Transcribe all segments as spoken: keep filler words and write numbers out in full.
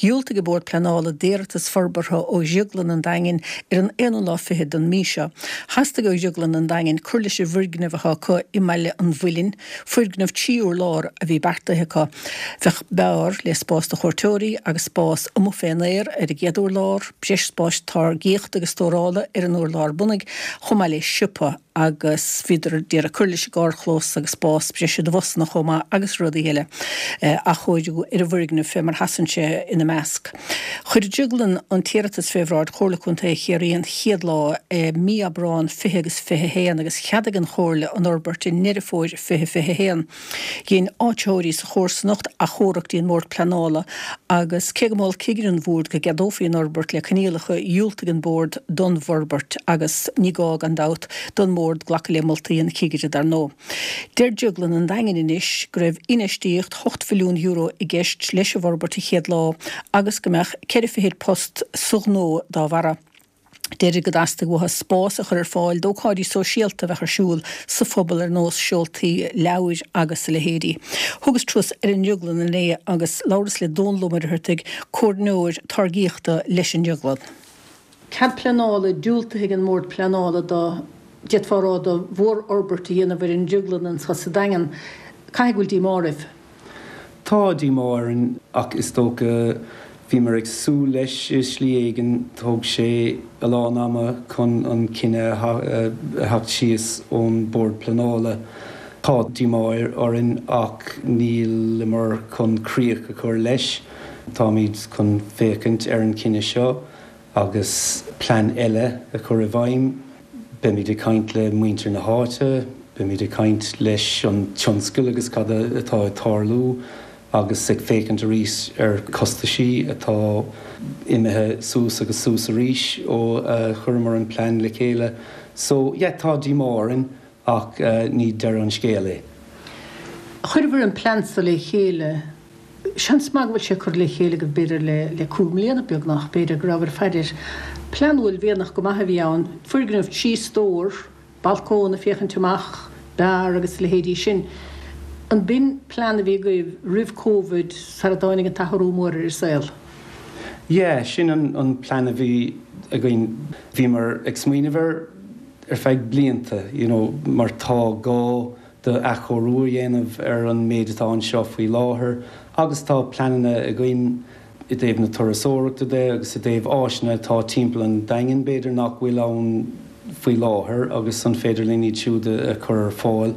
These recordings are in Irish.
Dhiúltaigh an Bord Pleanála d'iarratas forbartha ó Dhrioglann an Daingin ar an aonú lá fichead den mhí seo. Theastaigh ó Dhrioglann an Daingin cur leis an bhfoirgneamh atá acu i mBaile an Mhuilinn, foirgneamh trí urlár a bhí beartaithe acu. Bheadh beár le spás do chuairteoirí agus spás amuigh fén aer ar an gcéad urlár, breis spáis táirgíochta agus stórála ar an urlár bunaidh, chomh maith le siopa agus bhíodar ag iarraidh cur leis an gcarrchlós agus spás breise do bhusanna chomh maith agus rudaí eile athchóiriú ar an bhfoirgneamh fé mar sheasann sé ina measc. Chuir Drioglann an t-iarratas fé bhráid Chomhairle Contae Chiarraí an chéad lá i mí Aibreán fiche agus fiche haon agus cheadaigh an Chomhairle an fhorbairt i nDeireadh Fómhair fiche fiche haon. Dhein áititheoirí sa chomharsanacht achomharc dtí an mBord Pleanála agus cé go mhol cigire an bhoird go gceadófaí an fhorbairt le coinníollacha dhiúltaigh an Bord don bhforbairt agus ní gá gan dabht don mBord glacadh le moltaí an chigire dar ndóigh. Deir Drioglann an Daingin anois go raibh infheistíocht hocht mhilliún euro i gceist leis an bhforbairt an chéad lá agus go mbeadh ceithre fichid post sa ghnó dá bharra. Deirid go dteastaigh uathu spás a chur ar fáil d'ócáidí sóisialta a bheadh ar siúl sa phobal ar nós seoltaí leabhair agus a leithéidí. Thugas turas ar an drioglann inné agus labhras le Dónal Ó Muircheartaigh, comhairleoir táirgíochta leis an drioglann. Cead pleanála diúltaithe ag an mBord Pleanála do, d'fhéadfá a rá, do mhórfhorbairt a dhéanamh ar an drioglann anseo sa Daingean. Caithfidh go bhfuil díomá oraibh? Tá díomá orainn ach is dócha bhíomar ag súil leis i slí éigin. Thóg sé a lán ama chun an cinneadh a theacht síos ón Bord Pleanála. Tá díomá orainn ach níleamar chun críoch a chur leis. Táimid chun féachaint ar an chinneadh seo agus plean eile a chur i bhfeidhm. Beimid ag caint le muintir na háite, beimid ag caint leis an tionscal agus cad atá ag tarlú agus ag féachaint arís ar costaisí atá imithe suas agus suas arís ó chuireamar an plean le chéile. So yeah, tá díomá orainn ach ní deireadh an scéal é. Chuireabhair an plean seo le chéile, seans maith go bhfuil sé curtha le chéile go b'fhéidir le le cúig mbliana beagnach, b'fhéidir go rabhabhair ag faire air. Plean uaillmhianach go maith a bhí ann, foirgneamh trí stór, balcón ag féachaint amach, beár agus a leithéidí sin. An b'in plean a bhí agaibh roimh Covid sara dtáinig an t-athrú mór ar an saol? Yeah, sin an an plean a bhí againn. Bhíomar ag smaoineamh air ar feadh blianta, you know, mar tá gá do athchóiriú a dhéanamh ar an méid atá anseo faoi láthair agus tá pleananna againn i dtaobh na turasóireachta de agus i dtaobh áiseanna atá timpeall an Daingin b'fhéidir nach bhfuil ann faoi láthair agus an féidir linn iad siúd a chur ar fáil.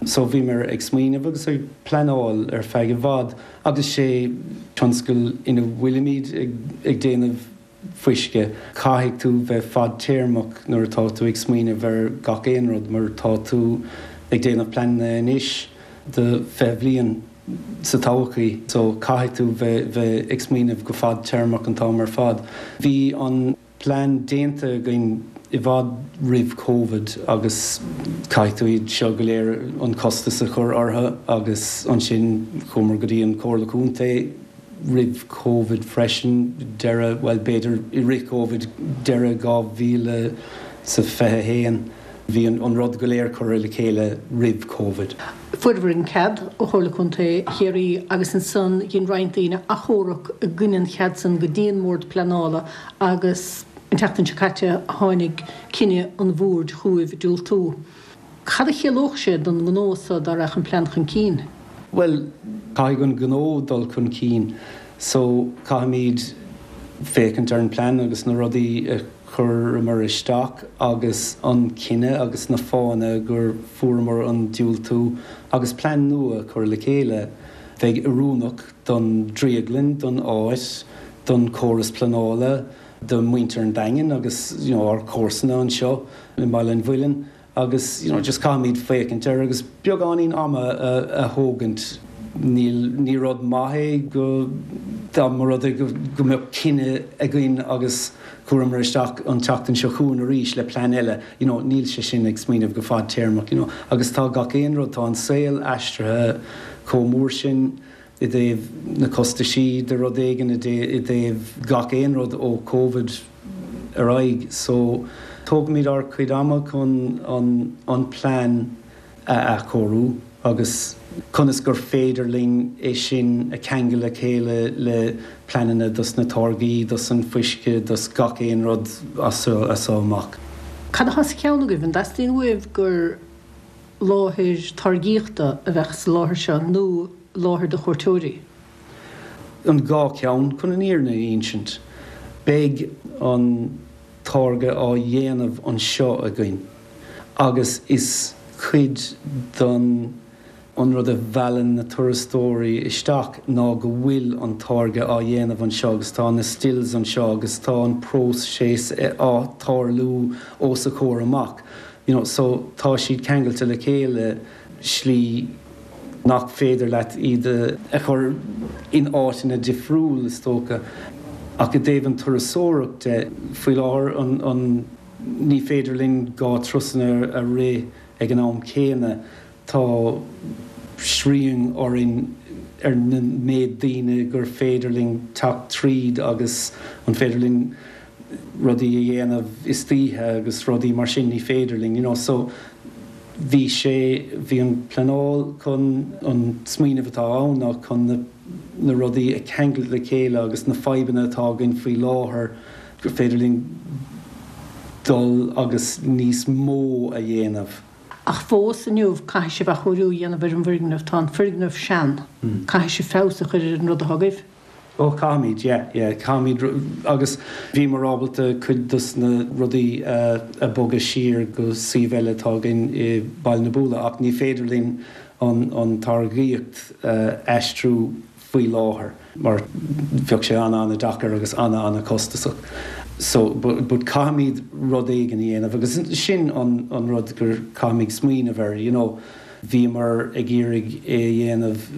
So bhíomar ag smaoineamh agus ag pleanáil ar feadh i bhfad agus sé tionscal ina bhfuilimid ag ag déanamh fuisce. Caithfidh tú bheith fadtéarmach nuair atá tú ag smaoineamh ar gach aon rud mar tá tú ag déanamh pleananna anois do fiche bhliain sa todhchaí. So caithfidh tú bheith bheith ag smaoineamh go fadtéarmach an t-am ar fad. Bhí an plean déanta againn i bhfad roimh Covid agus caithfidh tú iad seo go léir an costas a chur orthu agus ansin chuamar go dtí an Comhairle Contae roimh Covid freisin, deireadh, bhuel b'fhéidir i rith Covid, deireadh dhá mhíle 's a fiche a haon. Bhí an rud go léir curtha le chéile roimh Covid. Fuaireabhair an cead ó Chomhairle Contae Chiarraí agus ansan dhein roinnt daoine achomharc i gcoinne an chead san go dtí an mBord Pleanála agus an tseachtain seo caite tháinig cinneadh an Bhoird chugaibh diúltú. Cad a chiallódh sé don ngnó so dá raghadh an plean chun cinn? Bhuel, caithfidh an gnó dul chun cinn so caithfimid féachaint ar an plean agus na rudaí a chuireamar isteach agus an cinneadh agus na fáthanna gur fuaireamar an diúltú agus plean nua a chur le chéile bheidh oiriúnach don drioglann, don áit, don chóras pleanála, do mhuintir an Daingin agus you know ár comharsana anseo i mBaile an Mhuilinn. Agus you know just caithfimid féachaint air agus beagáinín ama a thógaint. Níl, ní rud maith é go, dá mba rud é go, go mbeadh cinneadh againn agus chuireamar isteach an tseachtain seo chugainn arís le plean eile, you know níl sé sin ag smaoineamh go fadtéarmach, you know. Agus tá gach aon rud, tá an saol aistrithe chomh mór sin i dtaobh na costaisí de rud éigin, i dtaobh gach aon rud ó Covid ar aghaidh. So tógfaimid ár cuid ama chun an an plean a athchóiriú agus conas gur féidir linn é sin a cheangal le chéile le pleananna dos na táirgí, dos an fuisce, dos gach aon rud as as amach. Cad atá sa cheann agaibh an dteastaíonn uaibh gur láthair táirgíochta a bheadh sa láthair seo nó láthair do chuairteoirí? An dhá cheann chun an fhírinne a insint. Beidh an táirge á dhéanamh anseo againn agus is cuid don an rud a mheallann na turasóirí isteach ná go bhfuil an táirge á dhéanamh anseo agus tá na stills anseo agus tá an próiseas á tarlú os a chomhair amach. You know, so tá siad ceangailte le chéile slí nach féidir leat iad a chur in áiteanna difriúil is dócha. Ach i dtaobh an turasóireacht faoi láthair an, an ní féidir linn dhá turasanna a rith ag an am céanna tá srian orainn ar na méid daoine gur féidir linn teacht tríd agus an féidir linn rudaí a dhéanamh istoíche agus rudaí mar sin ní féidir linn you know, so bhí sé bhí an pleanáil chun an smaoineamh atá ann ná chun na, na rudaí a cheangal le chéile agus na fadhbanna atá againn faoi láthair gur féidir linn dul agus níos mó a dhéanamh. Ach fós inniu caithfidh sibh athchóiriú a dhéanamh ar an bhfoirgneamh tá an foirgneamh sean caithfidh sibh feabhas a chur ar an rud atá agaibh. Ó caithfimid yeah, yeah, caithfimid agus bhíomar ábalta cuid dos na rudaí uh, a bhogadh siar go suíomh eile atá againn i Baile na Buaile ach ní féidir linn an, an táirgíocht uh, aistriú faoi láthair mar bheadh sé an-an-deacair agus an-an-chostasach. So but, but caithfimid rud éigin a dhéanamh agus sin an, an rud gur caithfimid smaoineamh air, you know, bhíomar ag iarraidh é a dhéanamh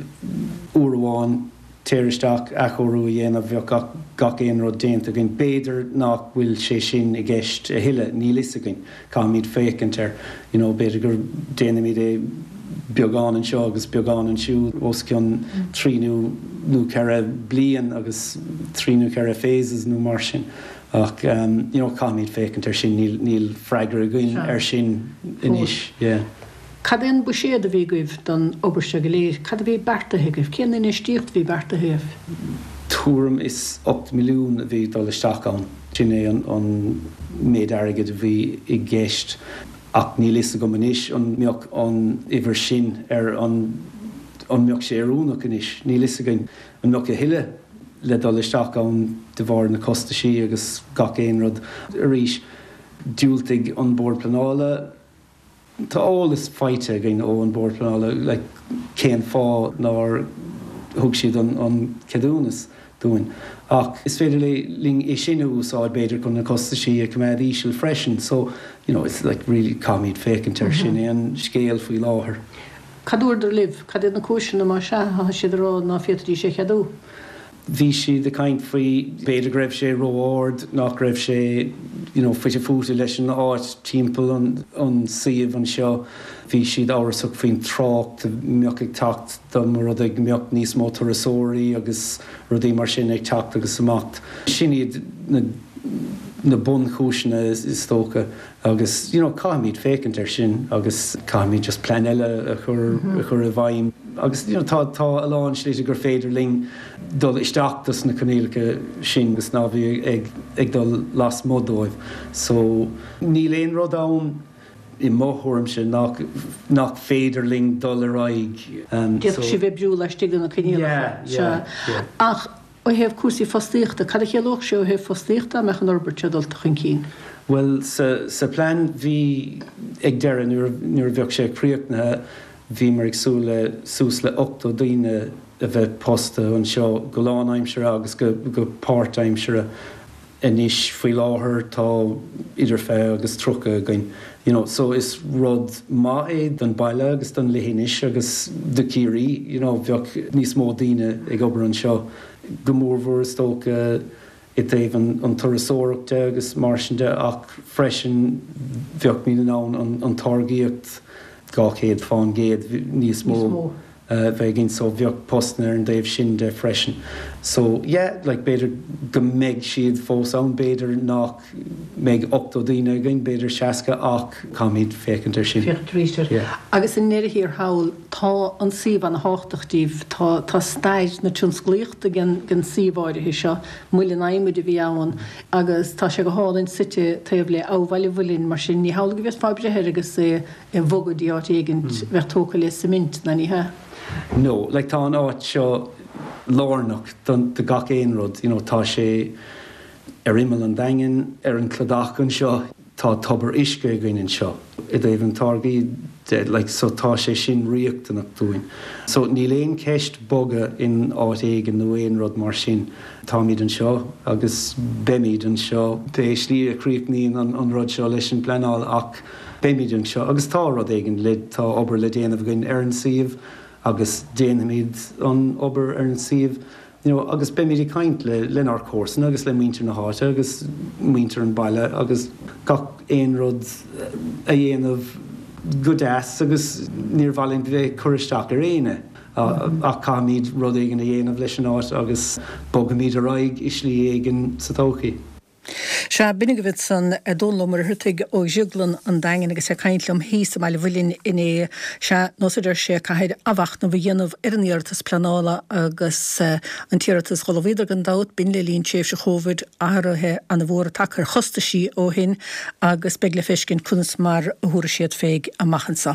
uair amháin téir isteach athchóiriú a dhéanamh bheadh gach, gach aon rud déanta againn. B'fhéidir nach bhfuil sé sin i gceist a thuilleadh níl fhios againn caithfimid féachaint air you know, b'fhéidir gur déanaimid é beagán anseo agus beagán ansiúd os cionn trí nó nó ceithre bliain agus trí nó ceithre phases nó mar sin. Ach um, you know, caithfimid féachaint air sin níl, níl freagra againn ar sin anois. Yeah. Cad é an buiséad a bhí agaibh don obair seo go léir, Cad a bhí beartaithe agaibh, cén infheistíocht bhí beartaithe agaibh? Tuairim is ocht milliún a bhí dul isteach ann. Sin é an, an méid airgid a bhí i gceist ach níl fhios agam anois an mbeadh an uimhir sin ar an an mbeadh sé oiriúnach anois, níl fhios againn an mbeadh a thuilleadh le dul isteach ann de bharr na costaisí agus gach aon rud arís diúltaigh an bord pleanála Tá eolas faighte againn ó an bord pleanála le cén fáth nár thug siad an, an ceadúnas dúinn. Ach is féidir le linn é sin a úsáid b'fhéidir chun na costaisí a choimeád íseal freisin, so you know, it's like really caithfimid féachaint air sin é an scéal faoi láthair. Cad a dúradar libh, cad iad na cúiseanna má sea tá siad ag rá ná féadfaidís é cheadú. Bhí siad ag caint faoi b'fhéidir go raibh sé ró-ard nach raibh sé you know, fite fuaite leis an áit timpeall an, an suíomh anseo. Bhí siad amhrasach faoin trácht mbeadh ag teacht dá mba rud é go mbeadh níos mó turasóirí agus rudaí mar sin ag teacht agus amach. Sin iad na, na bunchúiseanna is, is dócha agus you know, caithfimid féachaint air sin agus caithfimid just plean eile a chur, mm -hmm. a chur i bhfeidhm. Agus you know, tá tá a lán slite gur féidir linn dul isteach dos na coinníollacha sin agus ná bheith ag, ag dul lasmuigh dóibh. So níl aon rud ann i mo thuairimse nach, nach féidir linn dul ar aghaidh. Um, D'fhéadfadh sibh oibriú laistigh de na coinníollacha. Yeah, yeah, yeah. Ach ó thaobh cúrsaí fostaíochta, cad a chiallódh sé ó thaobh fostaíochta mbeadh an fhorbairt seo dulta chun cinn? Well sa, sa plean bhí ag deireadh nuair, nuair a bheadh sé críochnaithe bhíomar ag súil le suas le ochtó daoine a bheith pósta anseo go lánaimseartha agus go, go páirtaimseartha anois faoi láthair tá idir fiche agus tríocha againn. You know, so is rud maith é don baile agus don leithinis agus do Chiarraí, you know, bheadh níos mó daoine ag obair anseo go mórmhór is dócha i dtaobh an, an turasóireachta agus mar sin de ach freisin bheadh muid in ann an, an táirgíocht dhá chéad faoin gcéad níos mó bheith againn so bheadh postanna ar an dtaobh sin de freisin. So yeah, like b'fhéidir go mbeidh siad fós ann, b'fhéidir nach mbeidh ochtó daoine againn, b'fhéidir seasca ach caithfimid féachaint ar sin. Féachaint arís air. Yeah. Agus i ndeireadh thiar thall, tá an suíomh ana-thábhachtach díbh, tá tá stair na tionsclaíochta den den suíomh áirithe seo, muileann adhmaid a bhí ann agus tá sé go hálainn suite taobh le Abha Bhaile an Mhuilinn, mar sin ní hamhlaidh go bhféadfá breith air agus é a bhogadh dtí áit éigint a bheadh tógtha le cement, ná ní hea? No, like tá an áit seo lárnach don do gach aon rud, you know, tá sé ar imeall an Daingin, ar an cladach anseo, tá tobar uisce againn anseo i dtaobh an táirgí de, like, so tá sé sin riachtanach dúinn. So níl aon cheist bogadh in áit éigin nó aon rud mar sin. Táimid anseo agus beimid anseo pé slí a chríochnaíonn an, an rud seo leis an bpleanáil ach beimid anseo agus tá rud éigin le tá obair le déanamh againn ar an suíomh agus déanfaimid an obair ar an suíomh you know, agus beimid ag caint le lenár comharsana agus le muintir na háite agus muintir an baile agus gach aon rud a dhéanamh go deas agus níor mhaith linn bheith cur isteach ar éinne. Ach caithfimid rud éigin a dhéanamh leis an áit agus bogfaimid ar aghaidh i slí éigin sa todhchaí. Sea, b'in agaibh ansan Dónal Ó Muircheartaigh ó Dhrioglann an Daingin agus é ag caint liom thíos i mBaile Mhuilinn inné. Sea, nós a deir sé, caithfear athmhachnamh a dhéanamh ar an iarratas pleanála agus an t-iarratas dh'ullmhaíodar gan dabht, b'in le linn tréimhse Chóvid, athruithe ana-mhóra tagtha ar chostaisí ó shin agus beidh le feiscint conas mar a thabharfaidh siad fé amach anseo.